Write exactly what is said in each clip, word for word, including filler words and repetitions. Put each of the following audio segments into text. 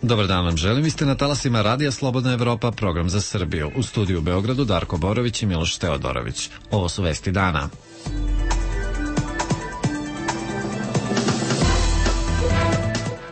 Dobar dan vam želim, vi ste na talasima Radija Slobodna Evropa, program za Srbiju. U studiju u Beogradu Darko Borović i Miloš Teodorović. Ovo su vesti dana.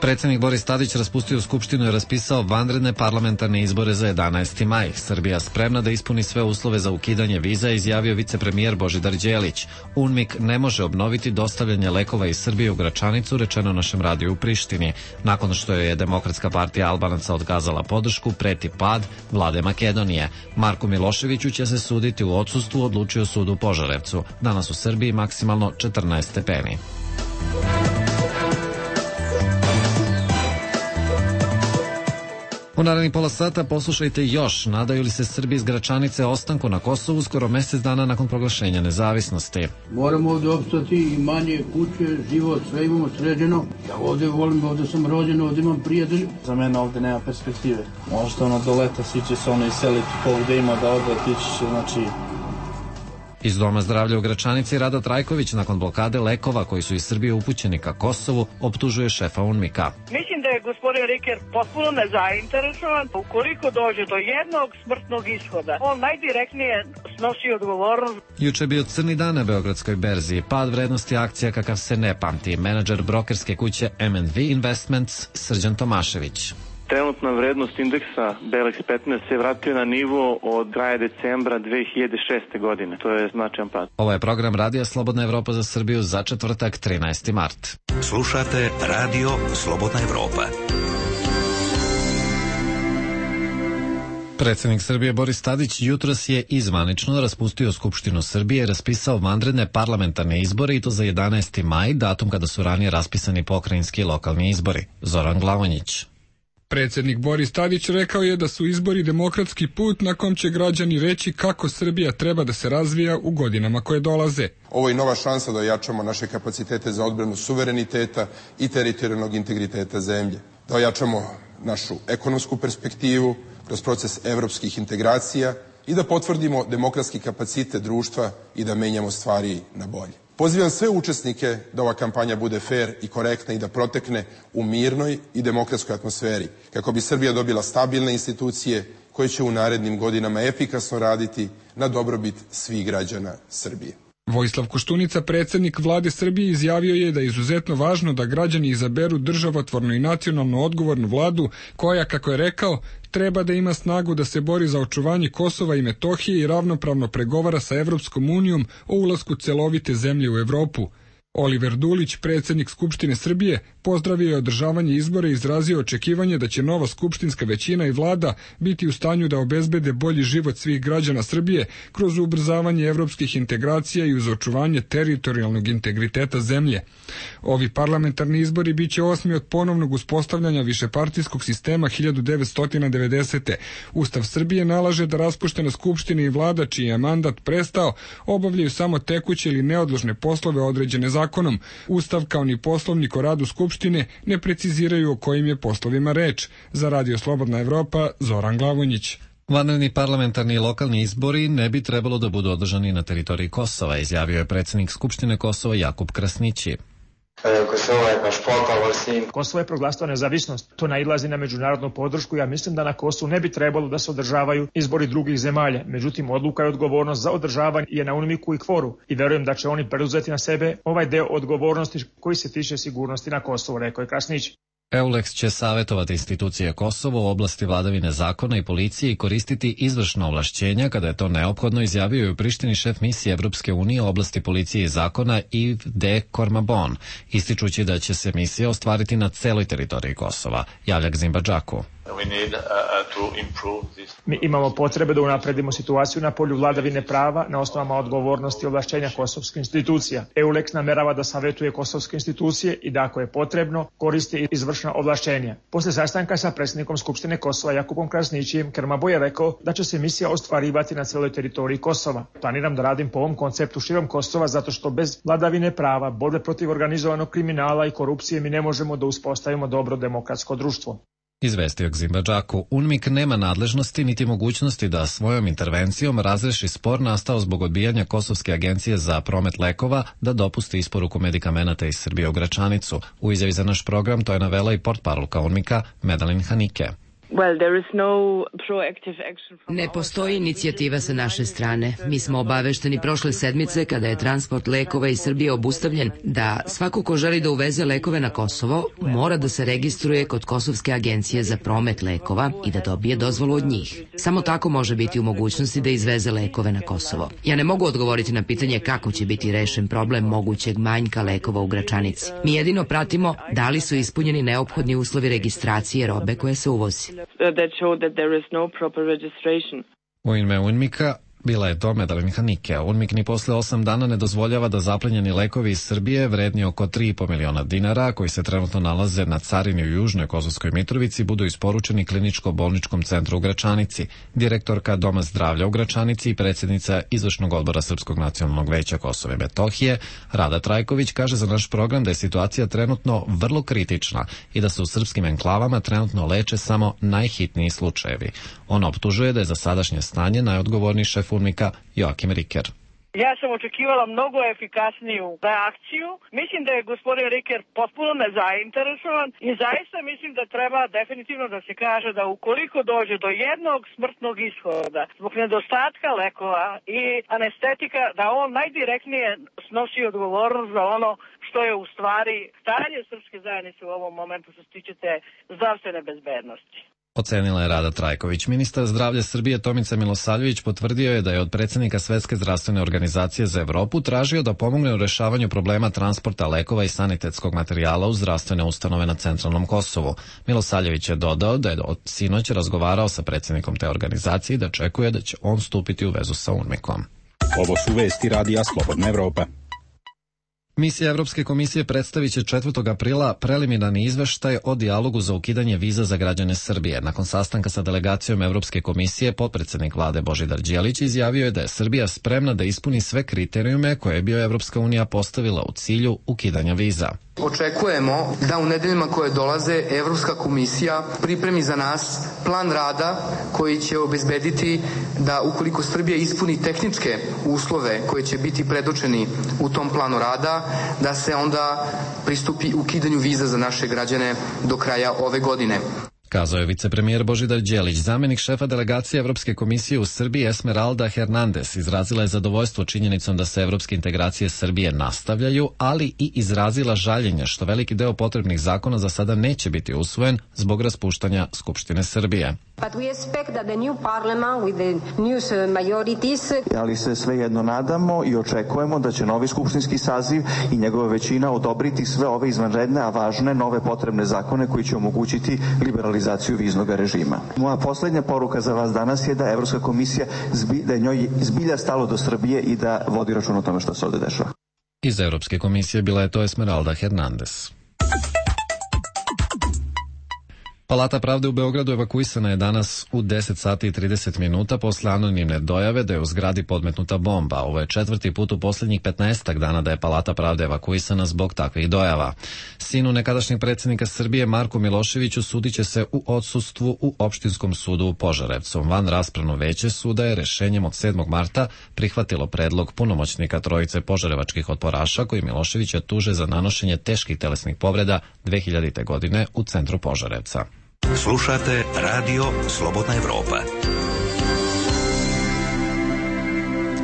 Predsednik Boris Tadić raspustio Skupštinu i raspisao vanredne parlamentarne izbore za jedanaesti maj. Srbija spremna da ispuni sve uslove za ukidanje viza, izjavio vicepremijer Božidar Đelić. UNMIK ne može obnoviti dostavljanje lekova iz Srbije u Gračanicu, rečeno našem radiju u Prištini. Nakon što je Demokratska partija Albanaca odkazala podršku, preti pad vlade Makedonije. Marku Miloševiću će se suditi u odsustvu, odlučio sud u Požarevcu. Danas u Srbiji maksimalno četrnaest stepeni. U narednih pola sata poslušajte još. Nadaju li se Srbi iz Gračanice ostanku na Kosovu skoro mesec dana nakon proglašenja nezavisnosti? Moramo ovde opstati, imanje, kuće, život, sve imamo sređeno. Ja ovde volim, ovde sam rođen, ovde imam prijatelj. Za mene ovde nema perspektive. Možda ono do leta svi će se ono iseliti ko gde ima da ode, tići će, znači... Iz Doma zdravlja u Gračanici Rada Trajković nakon blokade lekova koji su iz Srbije upućeni ka Kosovu optužuje šefa UNMIK-a. Mislim da je gospodin Riker potpuno nezainteresovan. Ukoliko dođe do jednog smrtnog ishoda, on najdirektnije snosi odgovornost. Juče je bio crni dan na Beogradskoj berzi. Pad vrednosti akcija kakav se ne pamti. Menadžer brokerske kuće M and V Investments Srđan Tomašević. Trenutna vrednost indeksa B L X petnaest se vratio na nivo od kraja decembra dve hiljade šeste. godine. To je značajan pad. Ovo je program Radija Slobodna Evropa za Srbiju za četvrtak trinaesti mart. Slušate Radio Slobodna Evropa. Predsednik Srbije Boris Tadić jutros je izvanično raspustio Skupštinu Srbije i raspisao vanredne parlamentarne izbore i to za jedanaesti maj, datum kada su ranije raspisani pokrajinski i lokalni izbori. Zoran Glavonjić. Predsednik Boris Tadić rekao je da su izbori demokratski put na kom će građani reći kako Srbija treba da se razvija u godinama koje dolaze. Ovo je nova šansa da ojačamo naše kapacitete za odbranu suvereniteta i teritorijalnog integriteta zemlje. Da ojačamo našu ekonomsku perspektivu kroz proces evropskih integracija i da potvrdimo demokratski kapacitet društva i da menjamo stvari na bolje. Pozivam sve učesnike da ova kampanja bude fer i korektna i da protekne u mirnoj i demokratskoj atmosferi, kako bi Srbija dobila stabilne institucije koje će u narednim godinama efikasno raditi na dobrobit svih građana Srbije. Vojislav Koštunica, predsednik vlade Srbije, izjavio je da je izuzetno važno da građani izaberu državotvornu i nacionalno odgovornu vladu koja, kako je rekao, treba da ima snagu da se bori za očuvanje Kosova i Metohije i ravnopravno pregovara sa Evropskom unijom o ulasku celovite zemlje u Evropu. Oliver Dulić, predsednik Skupštine Srbije, pozdravio je održavanje izbora i izrazio očekivanje da će nova skupštinska većina i vlada biti u stanju da obezbede bolji život svih građana Srbije kroz ubrzavanje evropskih integracija i uz očuvanje teritorijalnog integriteta zemlje. Ovi parlamentarni izbori biće osmi od ponovnog uspostavljanja višepartijskog sistema hiljadu devetsto devedesete. Ustav Srbije nalaže da raspuštena skupština i vlada čiji je mandat prestao obavljaju samo tekuće ili neodložne poslove određene zakonom. Zakonom. Ustav kao ni poslovnik o radu Skupštine ne preciziraju o kojim je poslovima reč. Za Radio Slobodna Evropa, Zoran Glavonjić. Vanredni parlamentarni i lokalni izbori ne bi trebalo da budu održani na teritoriji Kosova, izjavio je predsednik Skupštine Kosova Jakub Krasnići. Kosovo je proglasilo nezavisnost. To nailazi na međunarodnu podršku. Ja mislim da na Kosovu ne bi trebalo da se održavaju izbori drugih zemalja. Međutim, odluka i odgovornost za održavanje je na UNMIK-u i kvoru. I verujem da će oni preuzeti na sebe ovaj deo odgovornosti koji se tiče sigurnosti na Kosovu, rekao je Krasnić. EULEX će savjetovati institucije Kosova u oblasti vladavine zakona i policije i koristiti izvršna ovlašćenja kada je to neophodno, izjavio je u Prištini šef misije Evropske unije u oblasti policije i zakona Yves de Kormabon, ističući da će se misija ostvariti na celoj teritoriji Kosova. Javlja Zimbadžaku. Mi imamo potrebe da unapredimo situaciju na polju vladavine prava na osnovama odgovornosti i ovlašćenja kosovskih institucija. EULEX namerava da savjetuje kosovske institucije i da ako je potrebno koristi izvršna ovlašćenja. Posle sastanka sa predsjednikom Skupštine Kosova Jakubom Krasnićijem, Kermabo je rekao da će se misija ostvarivati na celoj teritoriji Kosova. Planiram da radim po ovom konceptu širom Kosova zato što bez vladavine prava, borbe protiv organizovanog kriminala i korupcije mi ne možemo da uspostavimo dobro demokratsko društvo. Izvestio Gzimbadžaku, UNMIK nema nadležnosti niti mogućnosti da svojom intervencijom razreši spor nastao zbog odbijanja Kosovske agencije za promet lekova da dopusti isporuku medikamenata iz Srbije u Gračanicu. U izjavi za naš program to je navela i portparolka UNMIK-a Medalin Hanike. Ne postoji inicijativa sa naše strane. Mi smo obavešteni prošle sedmice kada je transport lekova iz Srbije obustavljen da svako ko želi da uveze lekove na Kosovo mora da se registruje kod Kosovske agencije za promet lekova i da dobije dozvolu od njih. Samo tako može biti u mogućnosti da izveze lekove na Kosovo. Ja ne mogu odgovoriti na pitanje kako će biti rešen problem mogućeg manjka lekova u Gračanici. Mi jedino pratimo da li su ispunjeni neophodni uslovi registracije robe koje se uvozi. That show that there is no proper registration. U ime UNMIK-a bila je to Medalin Hanike. UNMIK ni posle osam dana ne dozvoljava da zaplenjeni lekovi iz Srbije vredni oko tri i po miliona dinara, koji se trenutno nalaze na carini u Južnoj Kosovskoj Mitrovici, budu isporučeni kliničko-bolničkom centru u Gračanici. Direktorka Doma zdravlja u Gračanici i predsjednica Izvršnog odbora Srpskog nacionalnog veća Kosova i Metohije, Rada Trajković, kaže za naš program da je situacija trenutno vrlo kritična i da se u srpskim enklavama trenutno leče samo najhitniji slučajevi. Ona optužuje da je za sadašnje stanje najodgovorniji šef UNMIK-a Joakim Riker. Ja sam očekivala mnogo efikasniju reakciju. Mislim da je gospodin Riker potpuno nezainteresovan i zaista mislim da treba definitivno da se kaže da ukoliko dođe do jednog smrtnog ishoda zbog nedostatka lekova i anestetika, da on najdirektnije snosi odgovornost za ono što je u stvari stanje srpske zajednice u ovom momentu što se tiče te zdravstvene bezbednosti. Ocenila je Rada Trajković. Ministar zdravlja Srbije Tomica Milosavljević potvrdio je da je od predsjednika Svetske zdravstvene organizacije za Evropu tražio da pomogne u rešavanju problema transporta lekova i sanitetskog materijala u zdravstvene ustanove na centralnom Kosovu. Milosavljević je dodao da je od sinoć razgovarao sa predsjednikom te organizacije i da očekuje da će on stupiti u vezu sa UNMIK-om. Ovo su vesti Radija Slobodna Evropa. Misija Evropske komisije predstavit će četvrtog aprila preliminarni izveštaj o dijalogu za ukidanje viza za građane Srbije. Nakon sastanka sa delegacijom Evropske komisije, potpredsjednik vlade Božidar Đelić izjavio je da je Srbija spremna da ispuni sve kriterijume koje je bio Evropska unija postavila u cilju ukidanja viza. Očekujemo da u nedeljama koje dolaze Evropska komisija pripremi za nas plan rada koji će obezbediti da ukoliko Srbija ispuni tehničke uslove koji će biti predočeni u tom planu rada, da se onda pristupi ukidanju viza za naše građane do kraja ove godine. Kazao je vicepremijer Božidar Đelić. Zamjenik šefa delegacije Evropske komisije u Srbiji Esmeralda Hernandez izrazila je zadovoljstvo činjenicom da se evropske integracije Srbije nastavljaju, ali i izrazila žaljenje što veliki deo potrebnih zakona za sada neće biti usvojen zbog raspuštanja Skupštine Srbije. Ali se svejedno nadamo i očekujemo da će novi skupštinski saziv i njegova većina odobriti sve ove izvanredne, a važne nove potrebne zakone koji će omogućiti liberalizaciju viznog režima. Moja posljednja poruka za vas danas je da Evropska komisija zbi, da je njoj zbilja stalo do Srbije i da vodi račun o tome što se ovdje dešava. Iz Evropske komisije bila je to Esmeralda Hernandez. Palata pravde u Beogradu evakuisana je danas u deset sati i trideset minuta posle anonimne dojave da je u zgradi podmetnuta bomba. Ovo je četvrti put u posljednjih petnaestak dana da je Palata pravde evakuisana zbog takvih dojava. Sinu nekadašnjeg predsjednika Srbije Marku Miloševiću sudit će se u odsustvu u Opštinskom sudu u Požarevcu. Van raspravno veće suda je rešenjem od sedmog marta prihvatilo predlog punomoćnika trojice požarevačkih otporaša koji Miloševića tuže za nanošenje teških telesnih povreda dve hiljadite. godine u centru Požarevca. Slušate Radio Slobodna Evropa.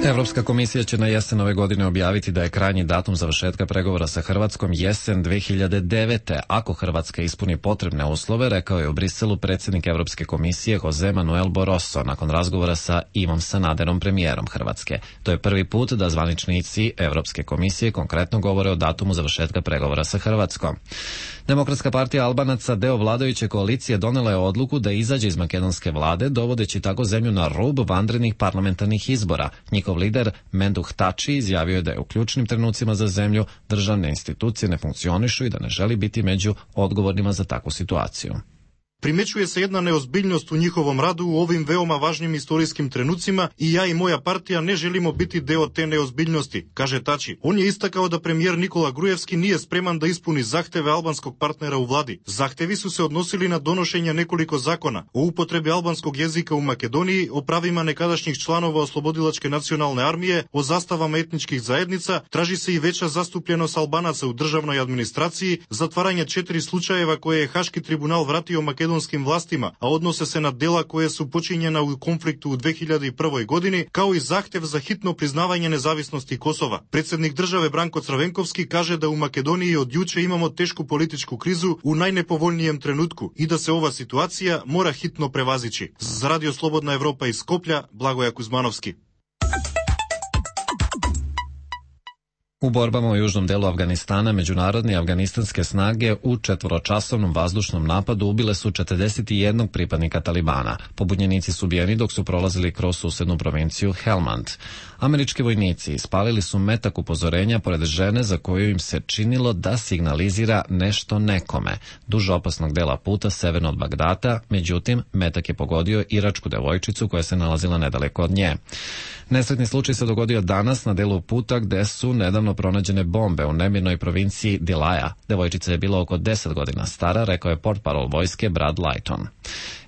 Evropska komisija će na jesen ove godine objaviti da je krajnji datum završetka pregovora sa Hrvatskom jesen dve hiljade devete. Ako Hrvatska ispuni potrebne uslove, rekao je u Briselu predsjednik Evropske komisije Jose Manuel Barroso nakon razgovora sa Ivom Sanaderom, premijerom Hrvatske. To je prvi put da zvaničnici Evropske komisije konkretno govore o datumu završetka pregovora sa Hrvatskom. Demokratska partija Albanaca, deo vladajuće koalicije, donela je odluku da izađe iz makedonske vlade, dovodeći tako zemlju na rub vanrednih parlamentarnih izbora. Njihov lider Menduh Tači izjavio je da je u ključnim trenucima za zemlju državne institucije ne funkcionišu i da ne želi biti među odgovornima za takvu situaciju. Primećuje se jedna neozbiljnost u njihovom radu u ovim veoma važnim istorijskim trenucima i ja i moja partija ne želimo biti deo te neozbiljnosti, kaže Tači. On je istakao da premijer Nikola Grujevski nije spreman da ispuni zahteve albanskog partnera u vladi. Zahtevi su se odnosili na donošenje nekoliko zakona o upotrebi albanskog jezika u Makedoniji, o pravima nekadašnjih članova Oslobodilačke nacionalne armije, o zastavama etničkih zajednica, traži se i veća zastupljenost Albanaca u državnoj administraciji, zatvaranje četiri slučajeva koje je Haški tribunal vratio makedonskim vlastima, a odnose se na dela koje su počinjena u konfliktu u dve hiljade prve. godini, kao i zahtev za hitno priznavanje nezavisnosti Kosova. Predsjednik države Branko Crvenkovski kaže da u Makedoniji od juče imamo tešku političku krizu u najnepovoljnijem trenutku i da se ova situacija mora hitno prevazići. Za Radio Slobodna Evropa iz Skoplja, Blagoja Kuzmanovski. U borbama u južnom delu Afganistana međunarodne afganistanske snage u četvoročasovnom vazdušnom napadu ubile su četrdeset jednog pripadnika Talibana. Pobunjenici su ubijeni dok su prolazili kroz susednu provinciju Helmand. Američki vojnici ispalili su metak upozorenja pored žene za koju im se činilo da signalizira nešto nekome, duž opasnog dela puta severno od Bagdata, međutim, metak je pogodio iračku devojčicu koja se nalazila nedaleko od nje. Nesretni slučaj se dogodio danas na delu puta gde su nedavno pronađene bombe u nemirnoj provinciji Dilaja. Devojčica je bila oko deset godina stara, rekao je portparol vojske Brad Lighton.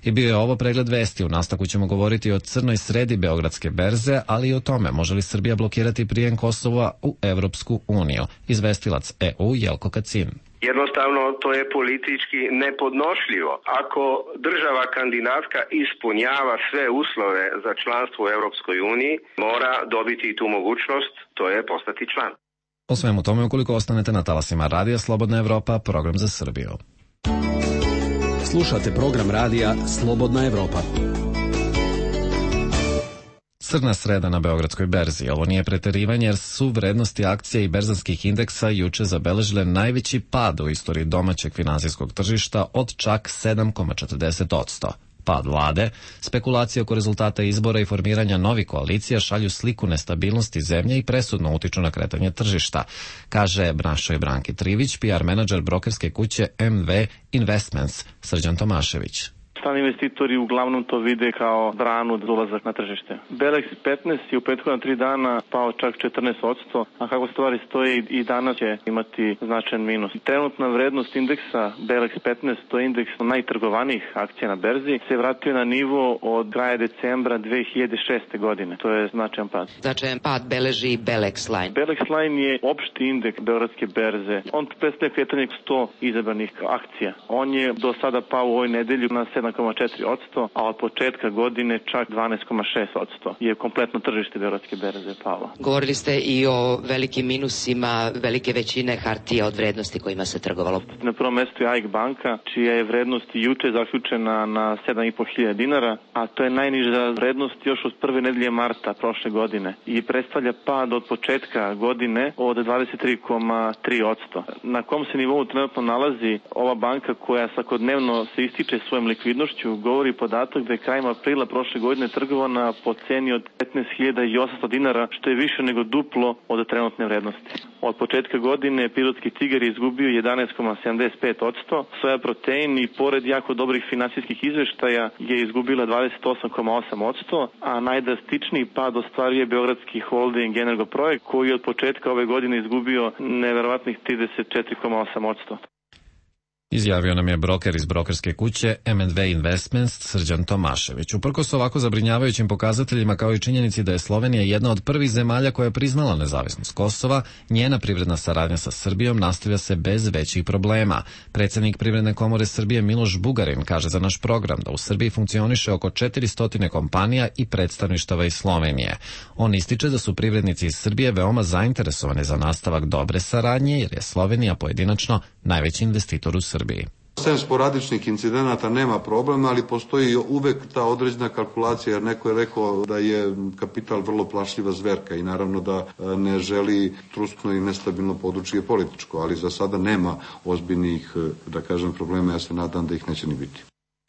I bio je ovo pregled vesti. U nastavku ćemo govoriti o crnoj sredi Beogradske berze, ali i o tome može li Srbija blokirati prijem Kosova u Evropsku uniju. Izvestilac E U Jelko Kacin. Jednostavno, to je politički nepodnošljivo. Ako država kandidatka ispunjava sve uslove za članstvo u Europskoj uniji, mora dobiti i tu mogućnost, to je postati član. O svemu tome, ukoliko ostanete na talasima Radija Slobodna Evropa, program za Srbiju. Slušate program radija Slobodna Evropa. Crna sreda na Beogradskoj berzi. Ovo nije preterivanje jer su vrednosti akcija i berzanskih indeksa juče zabeležile najveći pad u istoriji domaćeg finansijskog tržišta od čak sedam zarez četrdeset posto. Pad vlade, spekulacije oko rezultata izbora i formiranja novih koalicija šalju sliku nestabilnosti zemlje i presudno utiču na kretanje tržišta, kaže Brašoj Branki Trivić, P R menadžer brokerske kuće M V Investments, Srđan Tomašević. Strani investitori uglavnom to vide kao branu za ulazak na tržište. Belex petnaest je u prethodna tri dana pao čak četrnaest posto, a kako stvari stoje i danas će imati značajan minus. Trenutna vrednost indeksa Belex petnaest, to je indeks najtrgovanijih akcija na berzi, se vratio na nivo od kraja decembra dve hiljade šeste. godine. To je značajan pad. Značajan pad beleži Belex Line. Belex Line je opšti indeks Beogradske berze. On predstavlja kretanje sto izabranih akcija. On je do sada pao u ovoj nedelju na sedam zarez četiri posto, a od početka godine čak dvanaest zarez šest posto je kompletno tržište Beogradske berze palo. Govorili ste i o velikim minusima velike većine hartija od vrednosti kojima se trgovalo. Na prvom mestu je A I K banka, čija je vrednost juče zaključena na sedam i po hiljada dinara, a to je najniža vrednost još od prve nedelje marta prošle godine i predstavlja pad od početka godine od dvadeset tri zarez tri posto. Na kom se nivou trenutno nalazi ova banka koja svakodnevno se ističe svojom likvidnošću, govori podatak da je krajem aprila prošle godine trgovana po ceni od petnaest hiljada osamsto dinara, što je više nego duplo od trenutne vrednosti. Od početka godine Pirotski tigar je izgubio jedanaest zarez sedamdeset pet posto, Soja Protein i pored jako dobrih finansijskih izveštaja je izgubila dvadeset osam zarez osam posto, a najdrastičniji pad ostvaruje Beogradski holding Energoprojekt koji je od početka ove godine izgubio neverovatnih trideset četiri zarez osam posto. Izjavio nam je broker iz brokerske kuće M and V Investments Srđan Tomašević. Uprkos ovako zabrinjavajućim pokazateljima kao i činjenici da je Slovenija jedna od prvih zemalja koja je priznala nezavisnost Kosova, njena privredna saradnja sa Srbijom nastavlja se bez većih problema. Predsjednik Privredne komore Srbije Miloš Bugarin kaže za naš program da u Srbiji funkcioniše oko četiristo kompanija i predstavništava iz Slovenije. On ističe da su privrednici iz Srbije veoma zainteresovani za nastavak dobre saradnje jer je Slovenija pojedinačno najveći investitor u Srbiji. Sem sporadičnih incidenata nema problema, ali postoji uvek ta određena kalkulacija, jer neko je rekao da je kapital vrlo plašljiva zverka i naravno da ne želi truskno i nestabilno područje političko, ali za sada nema ozbiljnih, da kažem, problema, ja se nadam da ih neće ni biti.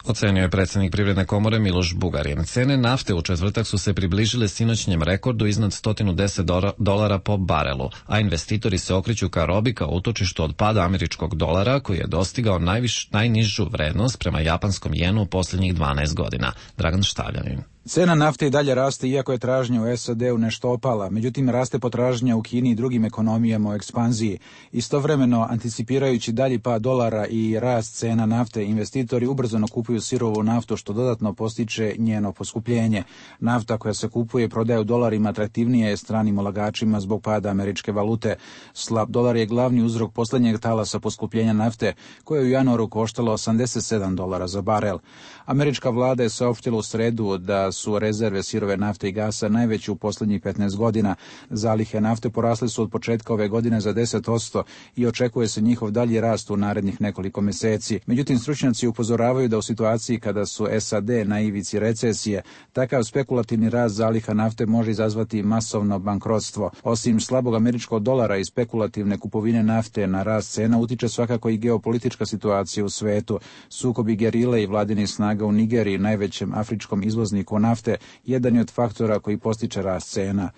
Ocenio je predsjednik Privredne komore Miloš Bugarin. Cene nafte u četvrtak su se približile sinoćnjem rekordu iznad sto deset dolara po barelu, a investitori se okreću ka robi kao utočištu od pada američkog dolara koji je dostigao najviš, najnižu vrednost prema japanskom jenu u posljednjih dvanaest godina. Dragan Štavljanin. Cena nafte i dalje raste iako je tražnja u S A D-u nešto opala, međutim raste potražnja u Kini i drugim ekonomijama u ekspanziji. Istovremeno, anticipirajući dalji pad dolara i rast cena nafte, investitori ubrzano kupuju sirovu naftu što dodatno postiče njeno poskupljenje. Nafta koja se kupuje i prodaje u dolarima atraktivnija je stranim ulagačima zbog pada američke valute. Slab dolar je glavni uzrok posljednjeg talasa poskupljenja nafte koje je u januaru koštalo osamdeset sedam dolara za barel. Američka vlada je saopštila u sredu da su rezerve sirove nafte i gasa najveće u posljednjih petnaest godina. Zalihe nafte porasle su od početka ove godine za deset posto i očekuje se njihov dalji rast u narednih nekoliko mjeseci. Međutim, stručnjaci upozoravaju da u situaciji kada su S A D na ivici recesije, takav spekulativni rast zaliha nafte može izazvati masovno bankrotstvo. Osim slabog američkog dolara i spekulativne kupovine nafte na rast cena, utiče svakako i geopolitička situacija u svetu. Sukobi gerile i vladinih snaga u Nigeriji, najvećem afričkom izvozniku nafte, jedan je od faktora koji postiče rast cena.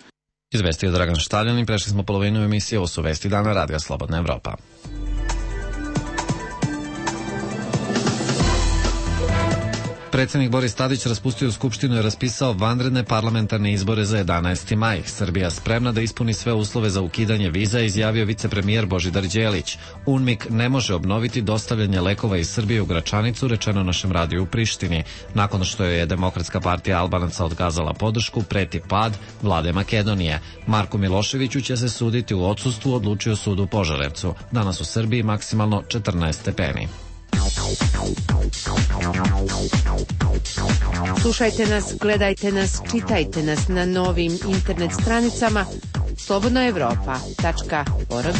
Izvestio Dragan Štaljanin, prešli smo polovinu emisije, ovo su vesti dana Radija Slobodna Evropa. Predsjednik Boris Tadić raspustio Skupštinu i raspisao vanredne parlamentarne izbore za jedanaesti maj. Srbija spremna da ispuni sve uslove za ukidanje viza, izjavio vicepremijer Božidar Đelić. UNMIK ne može obnoviti dostavljanje lekova iz Srbije u Gračanicu, rečeno našem radiju u Prištini. Nakon što je Demokratska partija Albanaca otkazala podršku, preti pad vlade Makedonije. Marku Miloševiću će se suditi u odsustvu, odlučio sud u Požarevcu. Danas u Srbiji maksimalno četrnaest stepeni. Slušajte nas, gledajte nas, čitajte nas na novim internet stranicama slobodna evropa tačka org.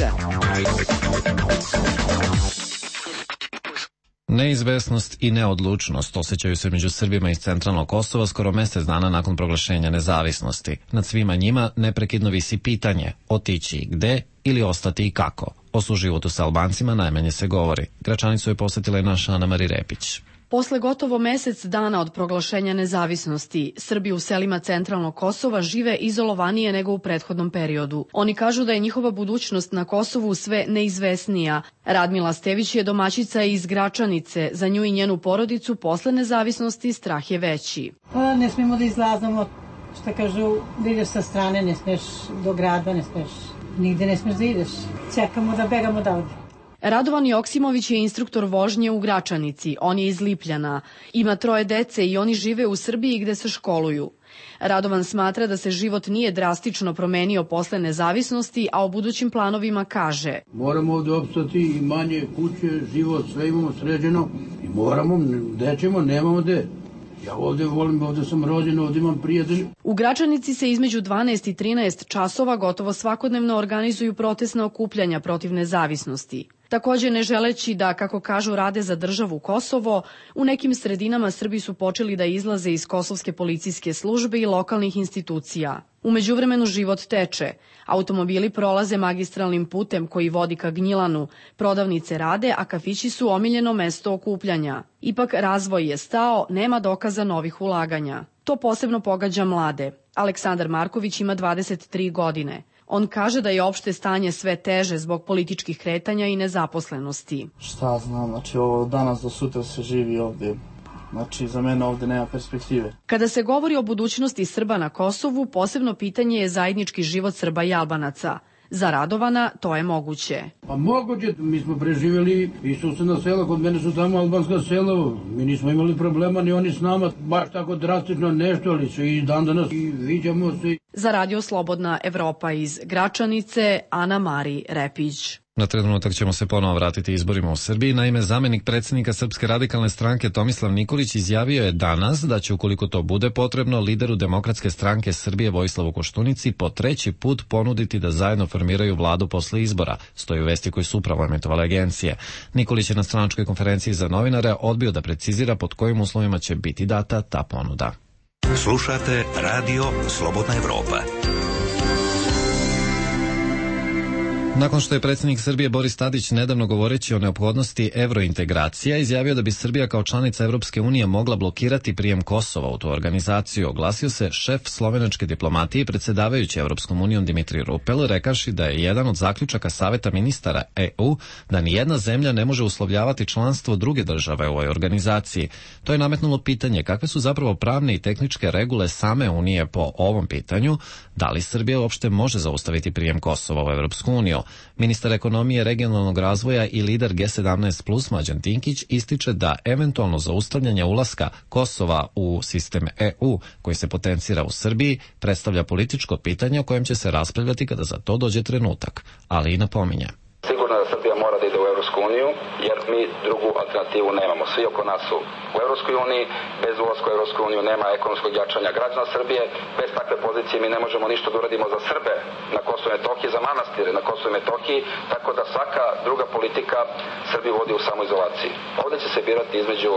Neizvesnost i neodlučnost osjećaju se među Srbima iz centralnog Kosova skoro mjesec dana nakon proglašenja nezavisnosti. Nad svima njima neprekidno visi pitanje otići gde ili ostati i kako. O suživotu sa Albancima najmanje se govori. Gračanicu je posjetila i naša Ana Mari Repić. Posle gotovo mesec dana od proglašenja nezavisnosti, Srbi u selima centralnog Kosova žive izolovanije nego u prethodnom periodu. Oni kažu da je njihova budućnost na Kosovu sve neizvesnija. Radmila Stević je domaćica iz Gračanice. Za nju i njenu porodicu posle nezavisnosti strah je veći. Pa ne smijemo da izlazamo, što kažu, da ideš sa strane, ne smiješ do grada, ne smiješ, nigde ne smiješ da ideš. Čekamo da begamo odavde. Radovan Joksimović je instruktor vožnje u Gračanici. On je iz Lipljana. Ima troje dece i oni žive u Srbiji gde se školuju. Radovan smatra da se život nije drastično promenio posle nezavisnosti, a o budućim planovima kaže: Moramo ovde opstati, imanje, kuće, život, sve imamo sređeno i moramo, gde ćemo, nemamo gde. Ja ovde volim, ovde sam rođen, ovde imam prijatelje. U Gračanici se između dvanaest i trinaest časova gotovo svakodnevno organizuju protestna okupljanja protiv nezavisnosti. Takođe, ne želeći da, kako kažu, rade za državu Kosovo, u nekim sredinama Srbi su počeli da izlaze iz kosovske policijske službe i lokalnih institucija. U međuvremenu život teče. Automobili prolaze magistralnim putem koji vodi ka Gnjilanu, prodavnice rade, a kafići su omiljeno mesto okupljanja. Ipak razvoj je stao, nema dokaza novih ulaganja. To posebno pogađa mlade. Aleksandar Marković ima dvadeset tri godine. On kaže da je opšte stanje sve teže zbog političkih kretanja i nezaposlenosti. Šta znam, znači ovo danas do sutra se živi ovde. Znači, za mene ovde nema perspektive. Kada se govori o budućnosti Srba na Kosovu, posebno pitanje je zajednički život Srba i Albanaca. Za Radovana to je moguće. Pa moguće, mi smo preživjeli i susedna sela, kod mene su tamo albanska sela, mi nismo imali problema ni oni s nama, baš tako drastično nešto, ali su i dan danas i viđamo se. Za Radio Slobodna Evropa iz Gračanice, Ana Mari Repić. Na trenutak ćemo se ponovo vratiti izborima u Srbiji. Naime, zamenik predsjednika Srpske radikalne stranke Tomislav Nikolić izjavio je danas da će, ukoliko to bude potrebno, lideru Demokratske stranke Srbije Vojislavu Koštunici po treći put ponuditi da zajedno formiraju vladu posle izbora, stoji u vesti koji su upravo emitovale agencije. Nikolić je na stranačkoj konferenciji za novinare odbio da precizira pod kojim uslovima će biti data ta ponuda. Slušate Radio Slobodna Evropa. Nakon što je predsjednik Srbije Boris Tadić nedavno govoreći o neophodnosti evrointegracija izjavio da bi Srbija kao članica Evropske unije mogla blokirati prijem Kosova u tu organizaciju, oglasio se šef slovenačke diplomatije i predsjedavajući Evropskom unijom Dimitrij Rupel, rekavši da je jedan od zaključaka Saveta ministara E U da nijedna zemlja ne može uslovljavati članstvo druge države u ovoj organizaciji. To je nametnulo pitanje kakve su zapravo pravne i tehničke regule same Unije po ovom pitanju, da li Srbija uopšte može zaustaviti prijem Kosova u Evropsku uniju. Ministar ekonomije, regionalnog razvoja i lider G sedamnaest plus Mlađan Dinkić ističe da eventualno zaustavljanje ulaska Kosova u sistem E U koji se potencira u Srbiji predstavlja političko pitanje o kojem će se raspravljati kada za to dođe trenutak, ali i napominje. Sigurno da Srbija mora da ide u Evropsku uniju, jer mi drugu alternativu nemamo. Svi oko nas su u Evropskoj uniji, bez ulaska u Evropsku uniju nema ekonomskog jačanja građana Srbije, bez takve pozicije mi ne možemo ništa da uradimo za Srbe na Kosovo i Metohiji, za manastire na Kosovo i Metohiji, tako da svaka druga politika Srbiju vodi u samoizolaciji. Ovdje će se birati između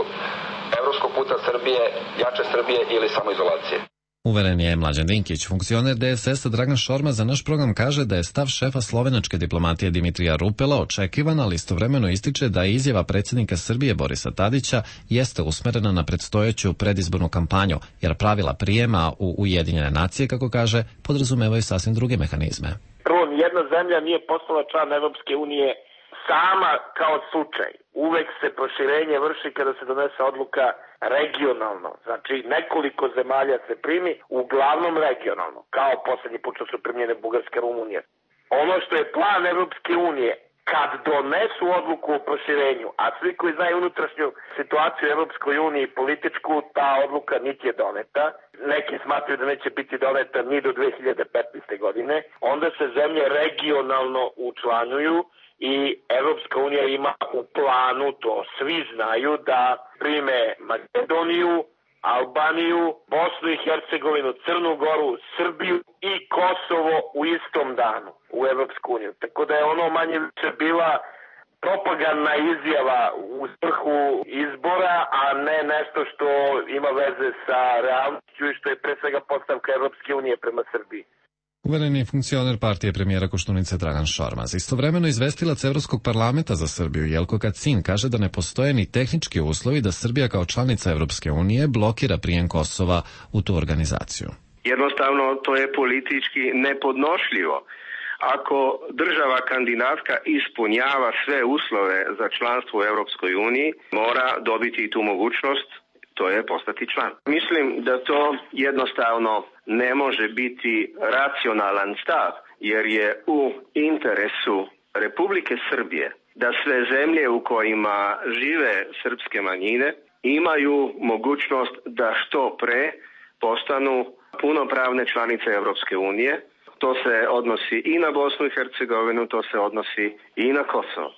evropskog puta Srbije, jače Srbije ili samoizolacije. Uveren je Mlađan Dinkić. Funkcioner D S S-a Dragan Šormaz za naš program kaže da je stav šefa slovenačke diplomatije Dimitrija Rupela očekivan, ali istovremeno ističe da je izjava predsjednika Srbije Borisa Tadića jeste usmerena na predstojeću predizbornu kampanju, jer pravila prijema u Ujedinjene nacije, kako kaže, podrazumevaju sasvim druge mehanizme. Prvo, nijedna zemlja nije postala član Evropske unije sama kao slučaj. Uvek se proširenje vrši kada se donese odluka regionalno. Znači, nekoliko zemalja se primi, uglavnom regionalno, kao poslednji put što su primljene Bugarska i Rumunija. Ono što je plan Evropske unije, kad donesu odluku o proširenju, a svi koji znaju unutrašnju situaciju u Evropskoj uniji političku, ta odluka niti je doneta, neki smatruju da neće biti doneta ni do dve hiljade petnaeste. godine, onda se zemlje regionalno učlanjuju i Evropska unija ima u planu, to svi znaju, da prime Makedoniju, Albaniju, Bosnu i Hercegovinu, Crnu Goru, Srbiju i Kosovo u istom danu u Evropsku uniju. Tako da je ono manje više bila propagandna izjava u svrhu izbora, a ne nešto što ima veze sa realnošću i što je pre svega postavka Evropske unije prema Srbiji. Uveren je funkcioner partije premijera Koštunice Dragan Šormaz. Istovremeno izvestilac Evropskog parlamenta za Srbiju Jelko Kacin kaže da ne postoje ni tehnički uslovi da Srbija kao članica Evropske unije blokira prijem Kosova u tu organizaciju. Jednostavno to je politički nepodnošljivo. Ako država kandidatka ispunjava sve uslove za članstvo u Evropskoj uniji, mora dobiti tu mogućnost, to je postati član. Mislim da to jednostavno ne može biti racionalan stav, jer je u interesu Republike Srbije da sve zemlje u kojima žive srpske manjine imaju mogućnost da što pre postanu punopravne članice Evropske unije. To se odnosi i na Bosnu i Hercegovinu, to se odnosi i na Kosovo.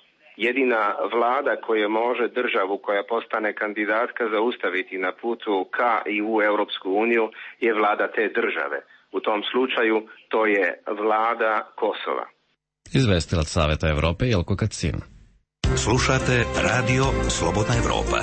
Jedina vlada koja može državu koja postane kandidatka zaustaviti na putu ka i u Europsku uniju je vlada te države. U tom slučaju to je vlada Kosova. Izvestilac Saveta Evrope Jelko Kacin. Slušate Radio Slobodna Evropa.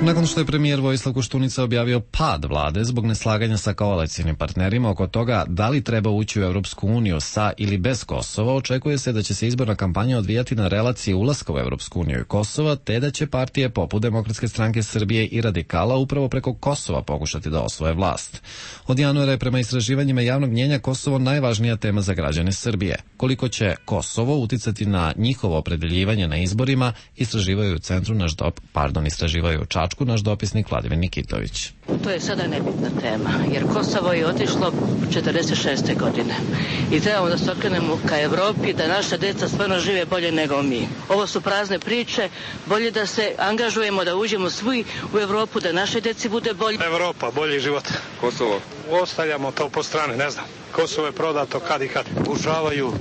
Nakon što je premijer Vojislav Koštunica objavio pad vlade zbog neslaganja sa koalicijnim partnerima oko toga da li treba ući u Evropsku uniju sa ili bez Kosova, očekuje se da će se izborna kampanja odvijati na relaciji ulaska u Evropsku uniju i Kosova, te da će partije poput Demokratske stranke Srbije i Radikala upravo preko Kosova pokušati da osvoje vlast. Od januara je prema istraživanjima javnog mnjenja Kosovo najvažnija tema za građane Srbije. Koliko će Kosovo uticati na njihovo opredeljivanje na izborima, istraživaju u centru naš dop, pardon, istraživaju u Čačku naš dopisnik Vladimir Nikitović. To je sada nebitna tema, jer Kosovo je otišlo četrdeset šeste. godine i trebamo da se okrenemo ka Evropi, da naša deca stvarno žive bolje nego mi. Ovo su prazne priče, bolje da se angažujemo, da uđemo svi u Evropu, da naše deci bude bolje. Evropa, bolji život. Kosovo. Ostavljamo to po strane, ne znam. Kosovo je prodato kad i kad. Pokušavaju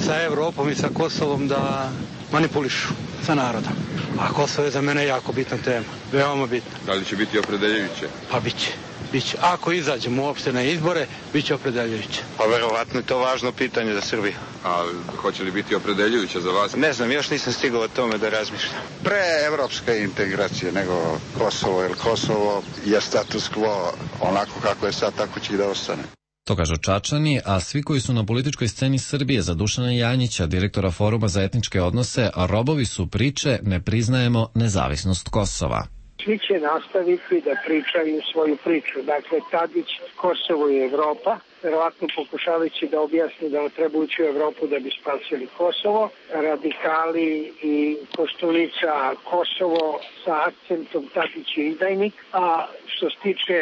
sa Evropom i sa Kosovom da manipulišu sa narodom. A Kosovo je za mene jako bitna tema, veoma bitna. Da li će biti opredeljujuće? Pa biće, biće. Ako izađemo uopšte na izbore, biće opredeljujuće. Pa verovatno je to važno pitanje za Srbiju. A hoće li biti opredeljujuće za vas? Ne znam, još nisam stigao o tome da razmišljam. Pre evropske integracije nego Kosovo, jer Kosovo je status quo onako kako je sad, tako će i da ostane. To kažu Čačani, a svi koji su na političkoj sceni Srbije za Dušana Janjića, direktora Foruma za etničke odnose, a robovi su priče ne priznajemo nezavisnost Kosova. Svi će nastaviti da pričaju svoju priču. Dakle, Tadić, Kosovo i Evropa, verovatno pokušavajući da objasni da treba ući u Evropu da bi spasili Kosovo. Radikali i Koštunica, Kosovo sa akcentom Tadić je izdajnik, a što se tiče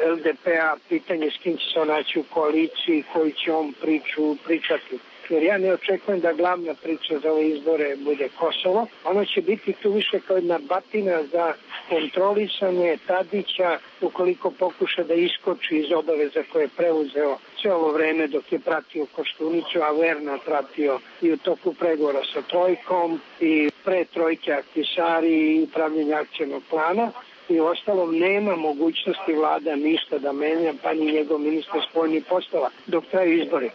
el de pe-a, pitanje s kim će se naći u koaliciji, koju će on priču pričati. Jer ja ne očekujem da glavna priča za ove izbore bude Kosovo. Ono će biti tu više kao jedna batina za kontrolisanje Tadića ukoliko pokuša da iskoči iz obaveza koje je preuzeo sve ovo vreme dok je pratio Koštunicu, a verno pratio i u toku pregovora sa Trojkom i pre Trojke Aktisari i pravljenja akcijnog plana. I u ostalom nema mogućnosti vlada ništa da menja, pa ni njegov ministar spoljnih poslova dok traju izbori.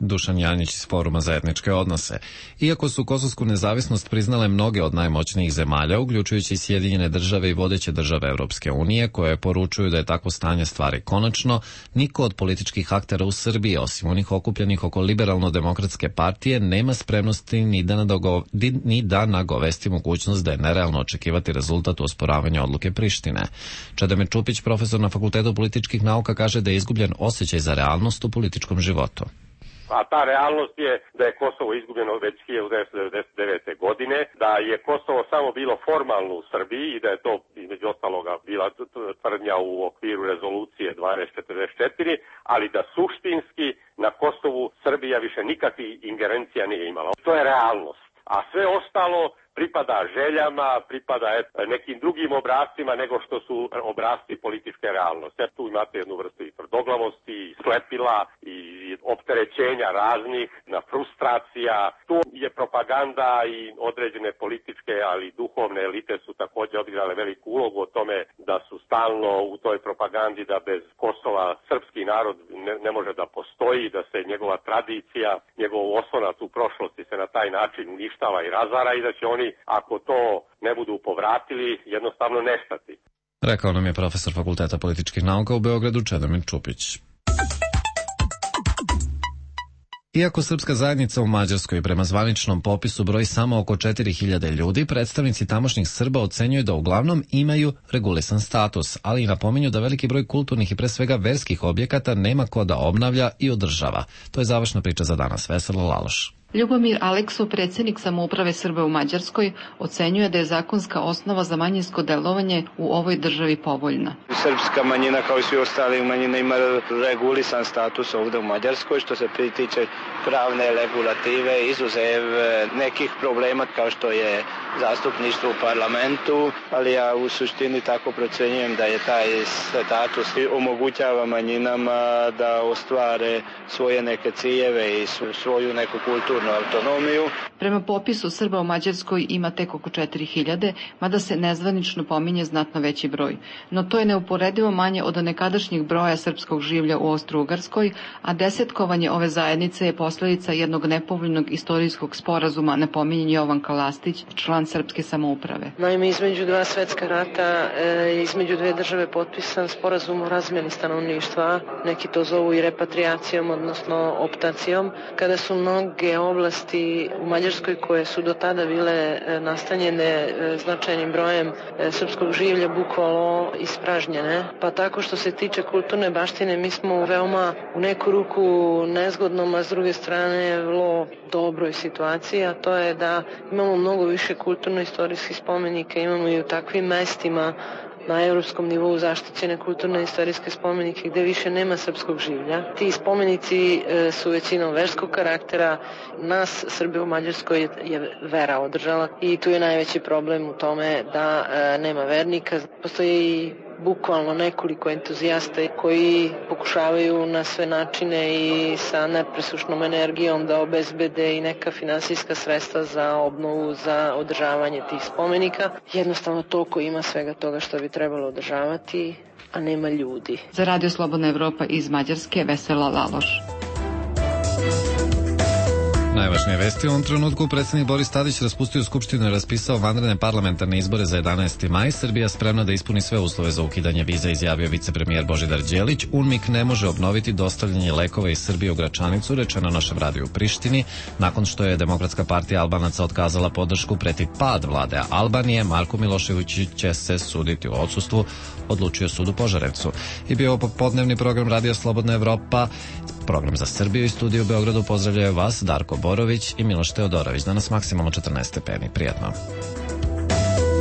Dušan Janjić iz Foruma za etničke odnose. Iako su kosovsku nezavisnost priznale mnoge od najmoćnijih zemalja, uključujući Sjedinjene države i vodeće države Evropske unije, koje poručuju da je takvo stanje stvari konačno, niko od političkih aktera u Srbiji, osim onih okupljenih oko liberalno-demokratske partije, nema spremnosti ni da, nadogo, ni da nagovesti mogućnost da je nerealno očekivati rezultat u osporavanju odluke Prištine. Čedomir Čupić, profesor na Fakultetu političkih nauka, kaže da je izgubljen osjećaj za realnost u političkom životu. A ta realnost je da je Kosovo izgubljeno već hiljadu devetsto devedeset devete. godine, da je Kosovo samo bilo formalno u Srbiji i da je to između ostaloga bila tvrdnja u okviru rezolucije dvanaest četrdeset četiri, ali da suštinski na Kosovu Srbija više nikakvih ingerencija nije imala. To je realnost. A sve ostalo pripada željama, pripada nekim drugim obrascima nego što su obrasci političke realnosti. Tu imate jednu vrstu i tvrdoglavosti, i slepila, i opterećenja raznih, na frustracija. Tu je propaganda i određene političke, ali duhovne elite su također odigrale veliku ulogu o tome da su stalno u toj propagandi da bez Kosova srpski narod ne, ne može da postoji, da se njegova tradicija, njegov oslonac u prošlosti se na taj način uništava i razara i da će oni, ako to ne budu povratili, jednostavno nestati. Rekao nam je profesor Fakulteta političkih nauka u Beogradu Čedomir Čupić. Iako srpska zajednica u Mađarskoj prema zvaničnom popisu broji samo oko četiri hiljade ljudi, predstavnici tamošnjih Srba ocenjuju da uglavnom imaju regulisan status, ali i napominju da veliki broj kulturnih i pre svega verskih objekata nema ko da obnavlja i održava. To je završna priča za danas. Veselo Laloš. Ljubomir Aleksov, predsjednik samouprave Srba u Mađarskoj, ocenjuje da je zakonska osnova za manjinsko delovanje u ovoj državi povoljna. Srpska manjina kao i svi ostali manjine ima regulisan status ovdje u Mađarskoj što se tiče pravne regulative, izuzev nekih problema kao što je zastupništvo u parlamentu, ali ja u suštini tako procenjujem da je taj status omogućava manjinama da ostvare svoje neke ciljeve i svoju neku kulturu autonomiju. Prema popisu Srba u Mađarskoj ima tek oko četiri hiljade, mada se nezvanično pominje znatno veći broj. No to je neuporedivo manje od nekadašnjih broja srpskog življa u Austro-Ugarskoj, a desetkovanje ove zajednice je posljedica jednog nepovoljnog istorijskog sporazuma, napominje Jovan Kalastić, član srpske samouprave. Naime, između dva svetska rata, e, između dve države potpisan sporazum o razmjeni stanovništva, neki to zovu i repatriacijom, odnosno optacijom, kada su mnoge oblasti u Mađarskoj koje su do tada bile nastanjene značajnim brojem srpskog življa bukvalno ispražnjene. Pa tako što se tiče kulturne baštine mi smo u veoma u neku ruku nezgodnom, a s druge strane vrlo dobroj situaciji, a to je da imamo mnogo više kulturno-istorijskih spomenika, imamo i u takvim mestima na evropskom nivou zaštićene kulturne i istorijske spomenike gde više nema srpskog življa. Ti spomenici e, su većinom verskog karaktera. Nas, Srbe u Mađarskoj, je, je vera održala i tu je najveći problem u tome da e, nema vernika. Postoje i bukvalno nekoliko entuzijasta koji pokušavaju na sve načine i sa nepresušnom energijom da obezbede i neka finansijska sredstva za obnovu, za održavanje tih spomenika. Jednostavno toliko ima svega toga što bi trebalo održavati, a nema ljudi. Za Radio Slobodna Evropa iz Mađarske, Vesela Laloš. Najvažnije vesti u ovom trenutku: predsjednik Boris Tadić raspustio skupštinu i raspisao vanredne parlamentarne izbore za jedanaesti maj. Srbija spremna da ispuni sve uslove za ukidanje viza, izjavio vicepremijer Božidar Đelić. UNMIK ne može obnoviti dostavljanje lekova iz Srbije u Gračanicu, rečeno našem radiju u Prištini. Nakon što je Demokratska partija Albanaca otkazala podršku, preti pad vlade Albanije. Marko Milošević će se suditi u odsustvu, odlučio sud u Požarevcu. I bio ovo popodnevni program Radio Slobodna Evropa. Program za Srbiju i studiju u Beogradu pozdravljaju vas Darko Borović i Miloš Teodorović. Danas maksimalno četrnaest stepeni. Prijatno.